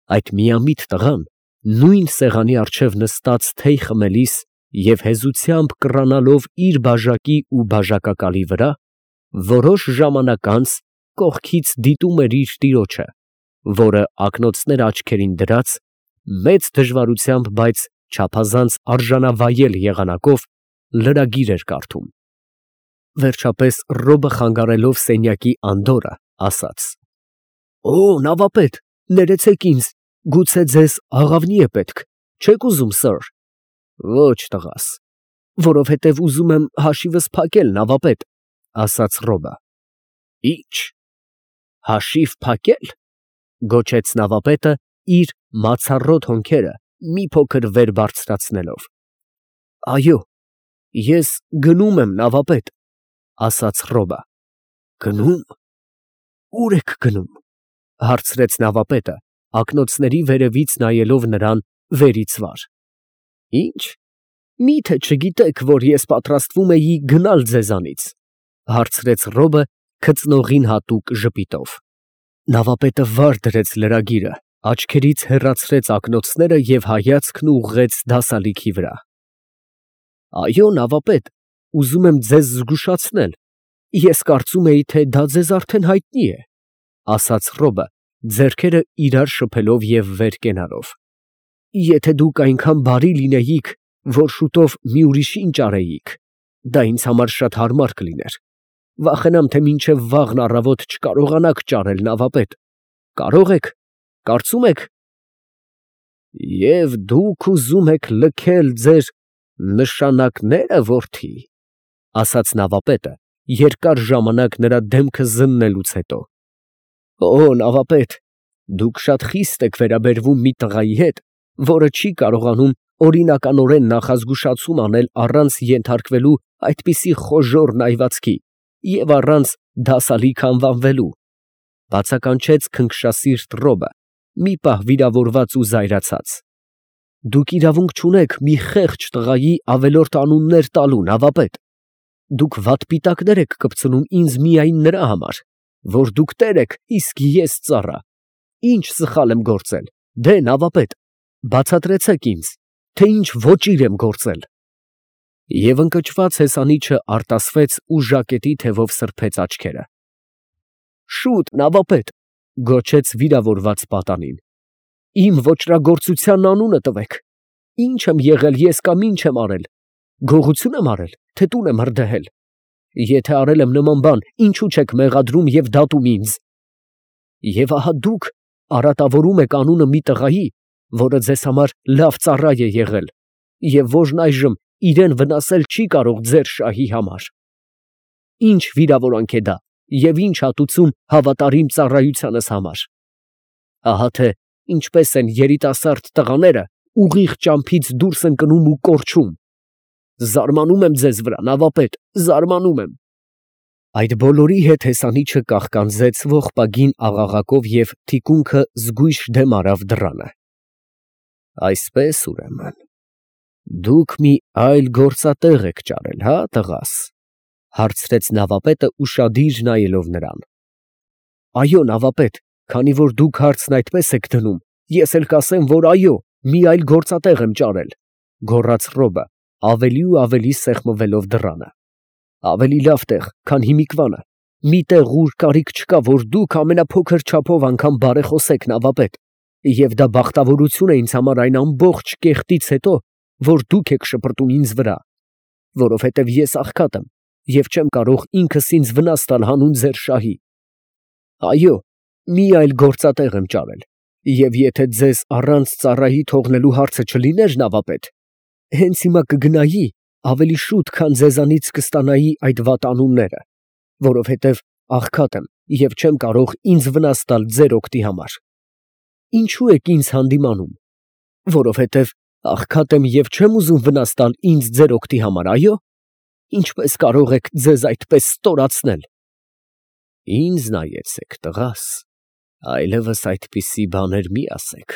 Այդ միամիտ տղան նույն սեղանի առջև նստած թեյ խմելիս և հեզությամբ կռանալով իր բաժակի ու բաժակակալի վրա, որոշ ժամանակ անց կողքից դիտում էր իր տիրոջը, որը ակնոցները աչքերին դրած, մեծ դժվարությամբ, բայց չափազանց արժանավայել եղանակով լրագիր էր կարդում։ Վերջապես Ռոբը խանգարելով սենյակի անդորրը, ասաց. «Օ, նավապետ, ներեցեք ինձ, գուցե ձեզ աղավնի է պետք, չե՞ք ուզում, սըր»։ «Ոչ, տղաս, որովհետև ուզում եմ հաշիվս փակել, նավապետ», ասաց Ռոբը։ «Ի՞նչ, հաշիվ փակել», գոչեց նավապետը իր մացառոտ հոնքերը մի փոքր վեր բարձրացնելով։ «Այո, ես գնում եմ, նավապետ», ասաց Ռոբը։ «Գնում, ո՞ւր եք գնում», հարցրեց նավապետը, ակնոցների վերևից նայելով նրան վերից վար։ «Ի՞նչ, մի՞թե չգիտեք, որ ես պատրաստվում էի գնալ ձեզանից», հարցրեց Ռոբը քծնողին հատուկ ժպիտով։ Նավապետը վար դրեց լրագիրը, աչքերից հեռացրեց ակնոցները և հայացքն ուղղեց դասալիքի վրա։ «Այո, նավապետ, ուզում եմ ձեզ զգուշացնել, ես կարծում էի, թե դա ձեզ արդեն հայտնի է», ասաց Ռոբը, ձեռքերը իրար շփելով և վեր կենալով։ «Եթե դուք այնքան բարի լինեիք, որ շուտով մի ուրիշին ճարեիք, դա ինձ համար շատ հարմար կլիներ։ Վախենամ, թե մինչև վաղն առավոտ չկարողանաք ճարել, նավապետ։ Կարո՞ղ եք, կարծում եք»։ «Եվ դուք ուզում եք լքել ձեր նշանակները, որդի», ասաց նավապետը, երկար ժամանակ նրա դեմքը զննելուց հետո։ «Օ, նավապետ, դուք շատ խիստ եք վերաբերվում մի տղայի հետ, որը չի կարողանում օրինականորեն նախազգուշացում անել առանց ենթարկվելու այդպիսի խոժոռ նայվածքի և առանց դասալիք անվանվելու», բացականչեց քնքշասիրտ Ռոբը, մի պահ վիրավորված ու զայրացած։ «Դուք իրավունք չունեք մի խեղճ տղայի ավելորդ անուններ տալու, նավապետ։ Դուք վատպիտակներ եք կպցնում ինձ միայն նրա համար, որ դուք տեր եք, իսկ ես ծառա։ Ինչ սխալ եմ գործել, դե նավապետ, բացատրեցեք ինձ, թե ինչ ոճիր եմ գործել»։ Եվ ընկճված հեսանիչը արտասվեց ու ժակետի թևով սրբեց աչքերը։ «Շուտ, նավապետ», գոչեց վիրավորված պատանին, «իմ ոճրագործության անունը տվեք, ի՞նչ եմ եղել ես կամ ի՞նչ եմ արել, գողություն եմ արել, թե տուն եմ հրդեհել։ Եթե արել եմ նման բան, ինչո՞ւ չեք մեղադրում և դատում ինձ։ Եվ ահա դուք արատավորում եք անունը մի տղայի, որը ձեզ համար լավ ծառա է եղել, և որն այժմ իրան վնասել չի կարող ձեր շահի համար։ Ինչ վիրավորանք է դա և ինչ հատուցում հավատարիմ ծառայությանս համար։ Ահա թե ինչպես են երիտասարդ տղաները ուղիղ ճամփից դուրս ընկնում ու կորչում։ Զարմանում եմ ձեզ վրա, նավապետ, զարմանում եմ»։ Այդ բոլորի հետ հեսանիչը կաղկանձեց ողբագին աղաղակով և թիկունքը զգույշ դեմ արավ դռանը։ «Այսպես, ուրեմն, դուք մի այլ գործատեղ եք ճարել, հա, տղաս», հարցրեց նավապետը ուշադիր նայելով նրան։ «Այո, նավապետ, քանի որ դուք հարցն այդպես եք դնում, ես էլ կասեմ, որ այո, մի այլ գործատեղ եմ ճարել», գոռաց Ռոբը, ավելի ու ավելի սեղմվելով դռանը։ «Ավելի լավ տեղ, քան հիմիկվանը, մի տեղ, ուր կարիք չկա, որ դուք ամենափոքր չափով անգամ բարեխոսեք, նավապետ, և դա բախտավորություն է ինձ համար այն ամբողջ կեղտից հետո, որ դուք եք շպրտում ինձ վրա, որովհետև ես աղքատ եմ և չեմ կարող ինքս ինձ վնաս տալ հանուն ձեր շահի։ Այո, մի այլ գործատեղ եմ ճարել, և եթե ձեզ առանց ծառայի թողնելու հարցը չլիներ, նավապետ, հենց հիմա կգնայի, ավելի շուտ, քան ձեզանից կստանայի այդ վատ անունները, որովհետև աղքատ եմ և չեմ կարող ինձ վնաս տալ ձեր օգտի համար։ Ինչո՞ւ եք ինձ հանդիմանում, որովհետև աղքատ եմ և չեմ ուզում վնաս տալ ինձ ձեր օգտի համար, այո։ Ինչպես կարող եք ձեզ այդպես ստորացնել։ Ինձ նայեցեք, տղաս, այլևս այդպիսի բաներ մի ասեք,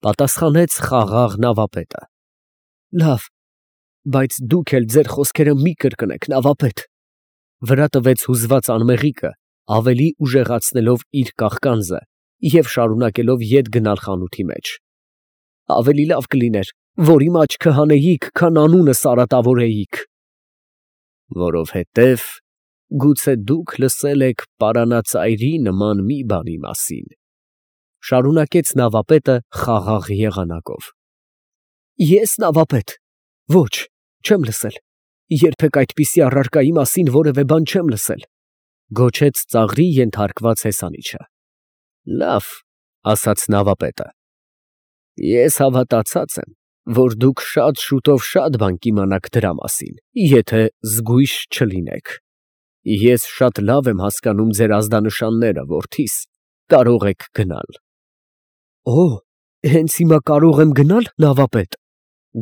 պատասխանեց խաղաղ նավապետը։ Լավ, բայց դուք էլ ձեր խոսքերը մի կրկնեք, նավապետ, վրա տվեց հուզված անմեղիկը, ավելի ուժեղացնելով իր կաղկանձը և շարունակելով ետ գնալ խանութի մեջ։ Ավելի լավ կլիներ, որ իմ աչքը հանեիք, քան անունս արատավորեիք։ Որովհետև գուցե դուք լսել եք պարանածայրի նման մի բանի մասին, շարունակեց նավապետը խաղաղ եղանակով։ Ես նավապետ, ոչ, չեմ լսել, երբեք այդպիսի առարկայի մասին որևէ բան չեմ լսել, գոչեց ծաղրի ենթարկված հեսանիչը։ Լավ, ասաց նավապետը, ես հավատացած եմ, որ դուք շատ շուտով շատ բան կիմանաք դրա մասին, եթե զգույշ չլինեք։ Ես շատ լավ եմ հասկանում ձեր ազդանշանները, որդիս, կարող եք գնալ։ Օ, հենց հիմա կարող եմ գնալ, նավապետ,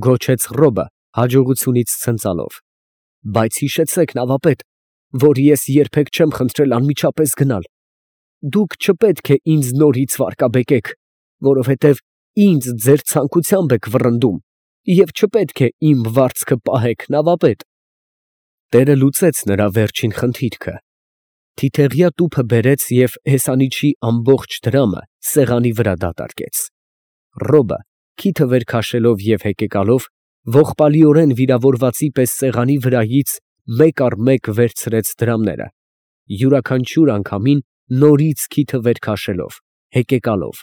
գոչեց Ռոբը հաջողությունից ցնծալով։ Բայց հիշեցեք, նավապետ, որ ես երբեք չեմ խնդրել անմիջապես գնալ։ Դուք չպետք է ինձ նորից վարկաբեկեք, որովհետև ինձ ձեր ցանկությամբ եք վռնդում, և չպետք է իմ վարձքը պահեք, նավապետ։ Տերը լուծեց նրա վերջին խնդիրքը։ Թիթեղյա տուփը բերեց և հեսանիչի ամբողջ դրամը սեղանի վրա դատարկեց։ Ռոբը, քիթը վեր քաշելով և հեկեկալով, ողբալիորեն վիրավորվածի պես սեղանի վրայից մեկ առ մեկ վերցրեց դրամները, յուրաքանչյուր անգամին նորից քիթը վեր քաշելով, հեկեկալով,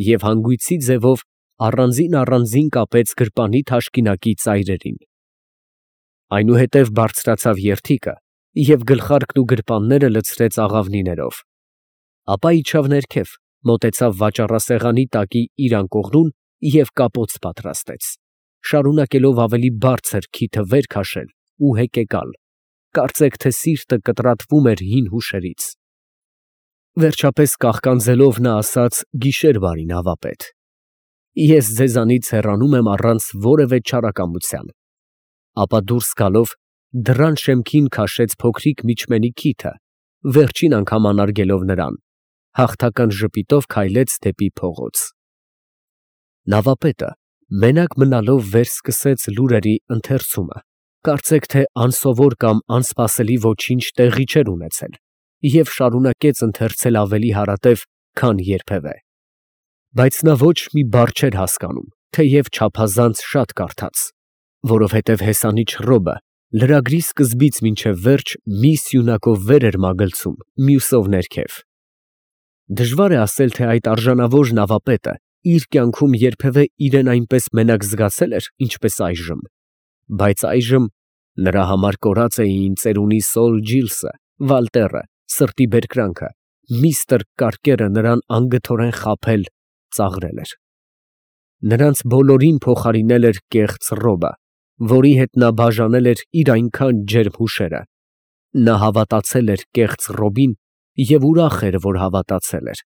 և հանգույցի ձևով առանձին կապեց գրպանի թաշկինակի ծայրերին։ Այնուհետև բարձրացավ երդիքը և գլխարկն ու գրպանները լցրեց աղավնիներով։ Ապա իջավ ներքև, մոտեցավ վաճառասեղանի տակի իր անկողնուն և կապոց պատրաստեց, շարունակելով ավելի բարձր քիթը վեր քաշել ու հեկեկալ, կարծեք թե սիրտը կտրատվում էր հին հուշերից։ Վերջապես կաղկանձելով նա ասաց. «Գիշեր բարի, նավապետ, ես ձեզանից հեռանում եմ առանց որևէ չարակամության»։ Ապա դուրս գալով դռան շեմքին քաշեց փոքրիկ միջմենի քիթը, վերջին անգամ անարգելով նրան, հաղթական ժպիտով քայլեց դեպի փողոց։ Նավապետը մենակ մնալով վեր սկսեց լուրերի ընթերցումը, կարծեք թե անսովոր կամ անսպասելի ոչինչ տեղի չէր ունեցել, և շարունակեց ընթերցել ավելի հարատև, քան երբևէ։ Բայց նա ոչ մի բառ չէր հասկանում, թեև չափազանց շատ կարդաց, որովհետև հեսանիչ Ռոբը լրագրի սկզբից մինչև վերջ մի սյունակով վեր էր մագլցում, մյուսով ներքև։ Դժվար է ասել, թե այդ արժանավոր նավապետը իր կյանքում երբևէ իրեն այնպես մենակ զգացել էր, ինչպես այժմ, բայց այժմ նրա համար կորած էին ծերունի Սոլ Ջիլսը, Վալտերը, սրտի բերկրանքը, միստր Կարկերը նրան անգթորեն խաբել, ծաղրել էր։ Նրանց բոլորին փոխարինել էր կեղծ Ռոբը, որի հետ նա բաժանել էր իր այնքան ջերմ հուշերը։ Նա հավատացել էր կեղծ Ռոբին և ուրախ էր, որ հավատացել էր։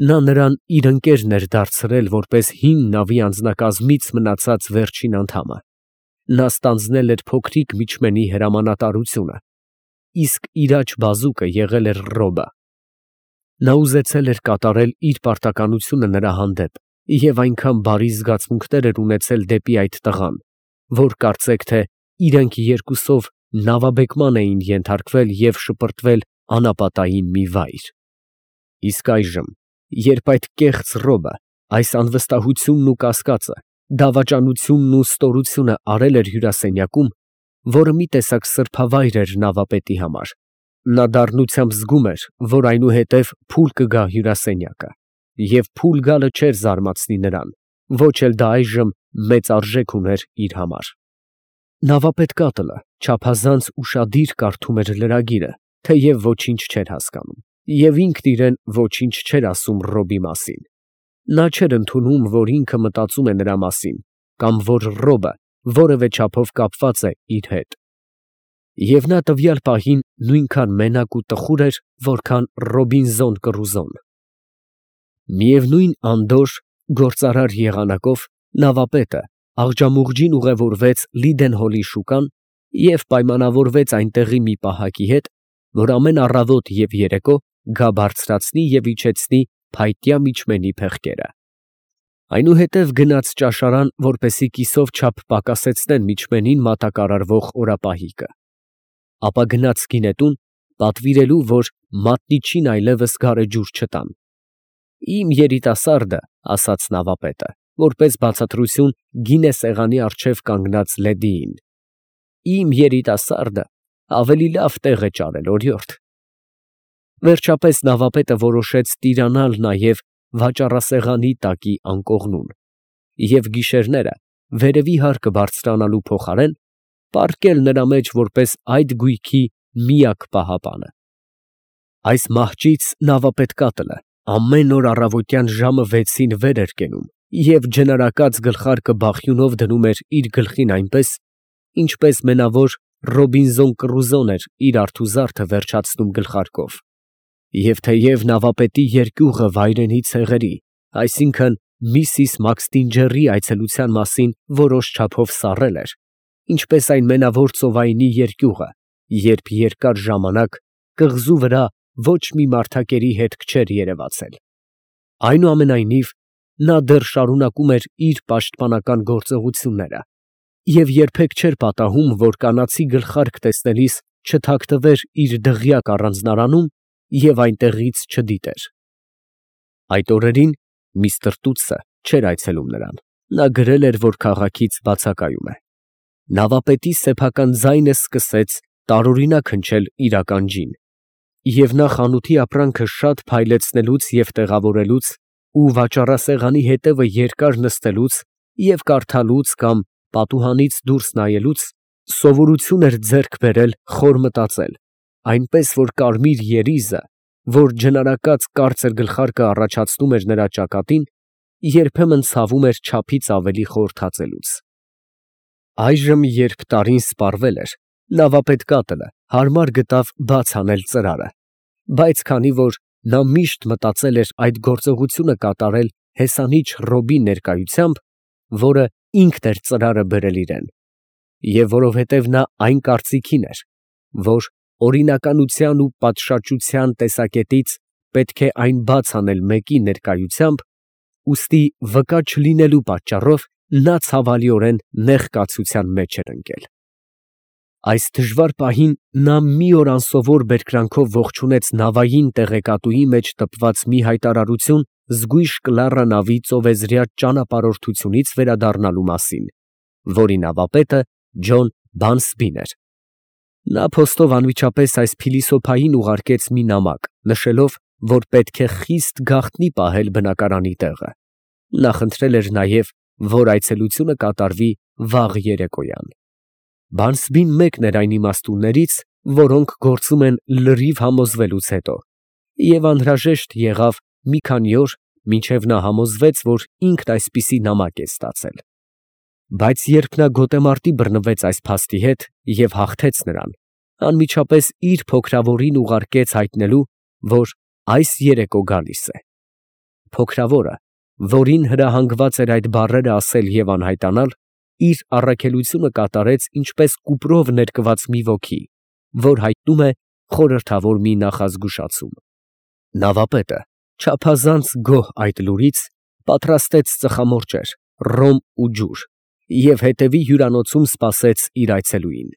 Նա նրան իր ընկերն էր դարձրել որպես հին նավի անձնակազմից մնացած վերջին անդամը։ Նա ստանձնել էր փոքրիկ միջմենի հրամանատարությունը, իսկ իր աջ բազուկը եղել էր Ռոբը։ Նա ուզեցել էր կատարել իր պարտականությունը նրա հանդեպ և այնքան բարի զգացմունքներ էր ունեցել դեպի այդ տղան, որ կարծեք թե իրենք երկուսով նավաբեկման էին ենթարկվել և շպրտվել անապատային մի վայր։ Իսկ այժմ, երբ այդ կեղծ Ռոբը այս անվստահությունն ու կասկածը, դավաճանությունն ու ստորությունը արել էր հյուրասենյակում, որը մի տեսակ սրբավայր էր նավապետի համար, նա դառնությամբ զգում էր, որ այնուհետև փուլ կգա հյուրասենյակը, և փուլ գալը չէր զարմացնի նրան, ոչ էլ դա այժմ մեծ արժեք ուներ իր համար։ Նավապետ կատլը չափազանց ուշադիր կարդում էր լրագիրը, թեև ոչինչ չէր հասկանում, և ինքն իրեն ոչինչ չէր ասում Ռոբի մասին։ Նա չէր ընդունում, որ ինքը մտածում է նրա մասին, կամ որ Ռոբը որևէ չափով կապված է իր հետ։ Եվ նա տվյալ պահին նույնքան մենակ ու տխուր էր, որքան Ռոբինզոն Կռուզոն։ Միևնույն անդորր, գործարար եղանակով նավապետը աղջամուղջին ուղևորվեց Լիդենհոլի շուկան և պայմանավորվեց այնտեղի մի պահակի հետ, որ ամեն առավոտ և երեկո գա բարձրացնի և իջեցնի փայտյա միջմենի փեղկերը։ Այնուհետև գնաց ճաշարան, որպեսզի կիսով չափ պակասեցնեն միջմենին մատակարարվող օրապահիկը։ Ապա գնաց գինետուն, պատվիրելու, որ մատնիչին այլևս գարեջուր չտան։ Իմ երիտասարդը, ասաց նավապետը, որպես բացատրություն գինե սեղանի առջև կանգնած լեդիին, իմ երիտասարդը ավելի լավ տեղ է ճարել, օրիորդ։ Վերջապես նավապետը որոշեց տիրանալ նաև վաճառասեղանի տակի անկողնուն և գիշերները վերևի հարկը բարձրանալու փոխարեն պառկել նրա մեջ որպես այդ գույքի միակ պահապանը։ Այս մահճից նավապետ կատլը ամեն օր առավոտյան ժամը 6-ին վեր էր կենում և ջնարակած գլխարկը բախյունով դնում էր իր գլխին այնպես, ինչպես մենավոր Ռոբինզոն Կռուզոն էր իր արթուզարդը վերջացնում գլխարկով։ Եվ թեև նավապետի երկյուղը վայրենի ցեղերի, այսինքն Միսիս Մաքսթինջերի այցելության մասին որոշ չափով սառել էր, ինչպես այն մենավոր ծովայինի երկյուղը, երբ երկար ժամանակ կղզու վրա ոչ մի մարդակերի հետք չէր երևացել։ Այնուամենայնիվ, նա դեռ շարունակում էր իր պաշտպանական գործողությունները և երբեք չէր պատահում, որ կանացի գլխարկ տեսնելիս չթաքնվեր իր դղյակ առանձնարանում և այնտեղից չդիտեր։ Այդ օրերին միստր Տուտսը չէր այցելում նրան, նա գրել էր, որ քաղաքից բացակայում է։ Նավապետի սեփական ձայնը սկսեց տարօրինակ հնչել իր ականջին, և նա խանութի ապրանքը շատ փայլեցնելուց և տեղավորելուց ու վաճառասեղանի հետևը երկար նստելուց և կարդալուց կամ պատուհանից դուրս նայելուց սովորություն էր ձեռք բերել խոր մտածել, այնպես որ կարմիր երիզը, որ ջնարակած կարծր գլխարկը առաջացնում էր նրա ճակատին, երբեմն ցավում էր չափից ավելի խորհրդածելուց։ Այժմ, երբ տարին սպառվել էր, նավապետ կատլը հարմար գտավ բաց անել ծրարը, բայց քանի որ նա միշտ մտածել էր այդ գործողությունը կատարել հեսանիչ Ռոբի ներկայությամբ, որը ինքն էր ծրարը բերել իրան, և որովհետև նա այն կարծիքին էր, որ օրինականության ու պատշաճության տեսակետից պետք է այն բաց անել մեկի ներկայությամբ, ուստի վկա չլինելու պատճառով նա ցավալիորեն նեղկացության մեջ էր ընկել։ Այս դժվար պահին նա մի օր անսովոր բերկրանքով ողջունեց նավային տեղեկատուի մեջ տպված մի հայտարարություն զգույշ Կլարա նավի ծովեզրյա ճանապարհորդությունից վերադառնալու մասին, որի նավապետը Ջոն Բանսբին էր։ Նա փոստով անմիջապես այս փիլիսոփային ուղարկեց մի նամակ, նշելով, որ պետք է խիստ գաղտնի պահել բնակարանի տեղը։ Նա խնդրել էր նաև, որ այցելությունը կատարվի վաղ երեկոյան։ Բանսբին մեկն էր այն իմաստուններից, որոնք գործում են լրիվ համոզվելուց հետո, և անհրաժեշտ եղավ մի քանի օր, մինչև նա համոզվեց, որ ինքն այսպիսի նամակ է ստացել։ Բայց երբ նա գոտեմարտի բռնվեց այս փաստի հետ և հաղթեց նրան, անմիջապես իր փոքրավորին ուղարկեց հայտնելու, որ այս երեկո գալիս է։ Փոքրավորը, որին հրահանգված էր այդ բառերը ասել և անհայտանալ, իր առաքելությունը կատարեց ինչպես կուպրով ներկված մի ոգի, որ հայտնում է խորհրդավոր մի նախազգուշացում։ Նավապետը, չափազանց գոհ այդ լուրից, պատրաստեց ծխամորճեր, ռոմ ու ջուր և հետևի հյուրանոցում սպասեց իր այցելուին։